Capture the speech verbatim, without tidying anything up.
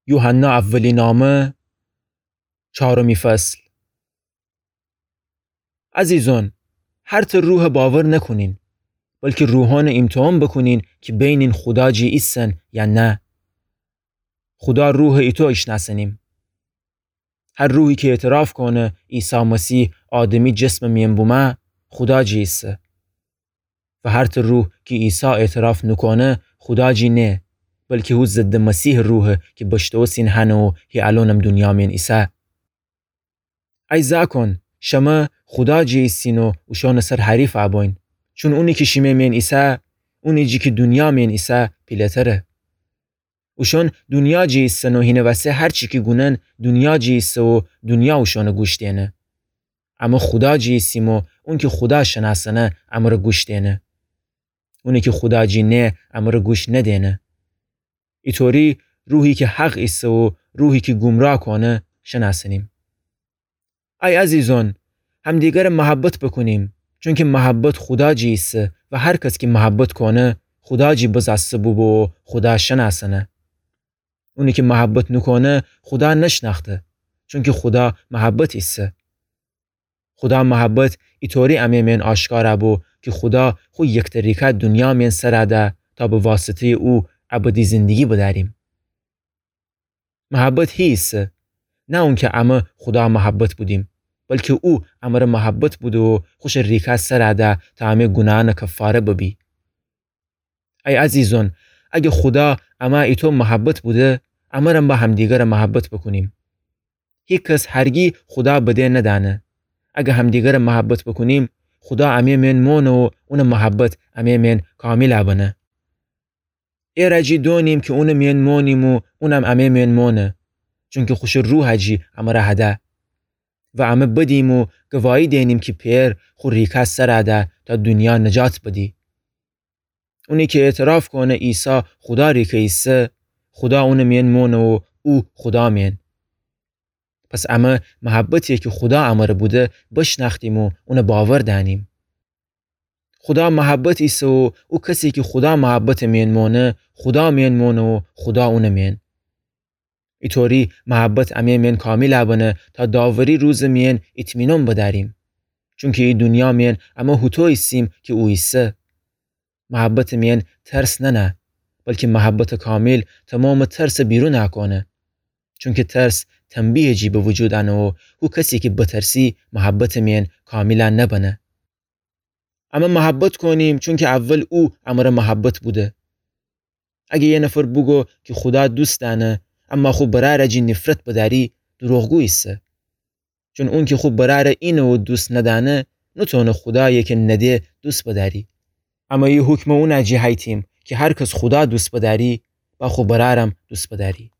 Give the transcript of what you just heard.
یوحنا اولینامه، چارمی فصل. عزیزان، هر ته روح باور نکونین، بلکی روحانه ایمتحان بکونین کی بینین خودا جی ایسن یا نه. خودا روح ایتو ایشناسنیم. هر روحی کی اعتراف کونه عیسی مسیح آدمی جسم میان بومه، خودا جی ایسه. و هر ته روح کی عیسی اعتراف نوکونه، خودا جی نیه، بلکی هو ضد مسیح روحه کی بشتوسین هنه و هی الونم دونیا میان ایسه. ای زاکان، شمه خودا جی ایسین و اوشانٚ سر حریف ابوین، چون اونی کی شیمه میان ایسه، اونی جی کی دونیا میان ایسه پیله‌تره. اوشان دونیا جی ایسن و هینه وسه هر چی کی گونن دونیا جی ایسه و دونیا اوشانٚ گوش دینه. امه خودا جی ایسیم و اونی کی خودا شناسنه امره گوش دینه. اونی کی خودا جی نیه امره گوش ندینه. ایطوری روحی کی حق ایسه و روحی کی گمراه کونه شناسنیم. ای عزیزان، همدیگره محبت بکونیم، چونکی محبت خودا جی ایسه و هر کس کی محبت کونه خودا جی بزاسته بوبو و خودا شناسنه. اونی کی محبت نوکونه خودا نشناخته، چونکی خودا محبت ایسه. خودا محبت ایطوری امه میان آشکارا بو کی خودا خو یکتریکه دونیا میان سره ده تا به واسطه‌یٚ او ابدی زندگی بدأریم. محبت هی ایسه، نه اونکی امه خودا محبت بودیم، بلکی او امره محبت بوده و خوشٚ ریکه سره ده تا امه گوناهأنٚ کفاره ببی. ای عزیزان، اگه خودا امه ایطو محبت بوده، امرم به همدیگره محبت بکونیم. هیکس هرگی خودا بده ندأنه. اگه همدیگره محبت بکونیم، خودا امه میان مونه و اونٚ محبت امه میان کامیل بنه. ایره جی دونیم کی اونٚ میان مونیم و اونم امه میان مونه، چونکی خوشٚ روحه جی امره هده. و امه بدیم و گواهی دینیم کی پئر خو ریکه سره ده تا دونیا نجات بدی. اونی کی اعتراف کونه عیسی خودا ریکه ایسه، خودا اونٚ میان مونه و او خودا میان. پس امه محبتی کی خودا امره بوده بشنأختیم و اونه باور دأنیم. خودا محبت ایسه و او کسی کی خودا محبتٚ میان مونه، خودا میان مونه و خودا اونٚ میان. ایطوری محبت امه میان کامیل بنه تا داوری روزٚ میان اطمینان بدأریم. چونکی ای دونیا میان امه هوطو ایسیم کی او ایسه. محبتٚ میان ترس نأنه، بلکی محبتٚ کامیل تومامٚ ترسٚ بیرون کونه. چونکی ترس تنبیهٚ جی به وجود أنه و هو کسی کی بترسی محبتٚ میان کامیل نبنه. امه محبت کونیم چونکی اول او امره محبت بوده. اگه یه نفر بوگو کی خودا دوست دأنه، اما خو برأره جی نفرت بدأری، دروغگو ایسه. چون اونکی خو برأره اینه و دوست ندأنه، نوتونه خودایی کی نده دوست بدأری. اما ای حکمه اونه جی هیتیم کی هر کس خودا دوست بدأری، با خو برأرم دوست بدأری.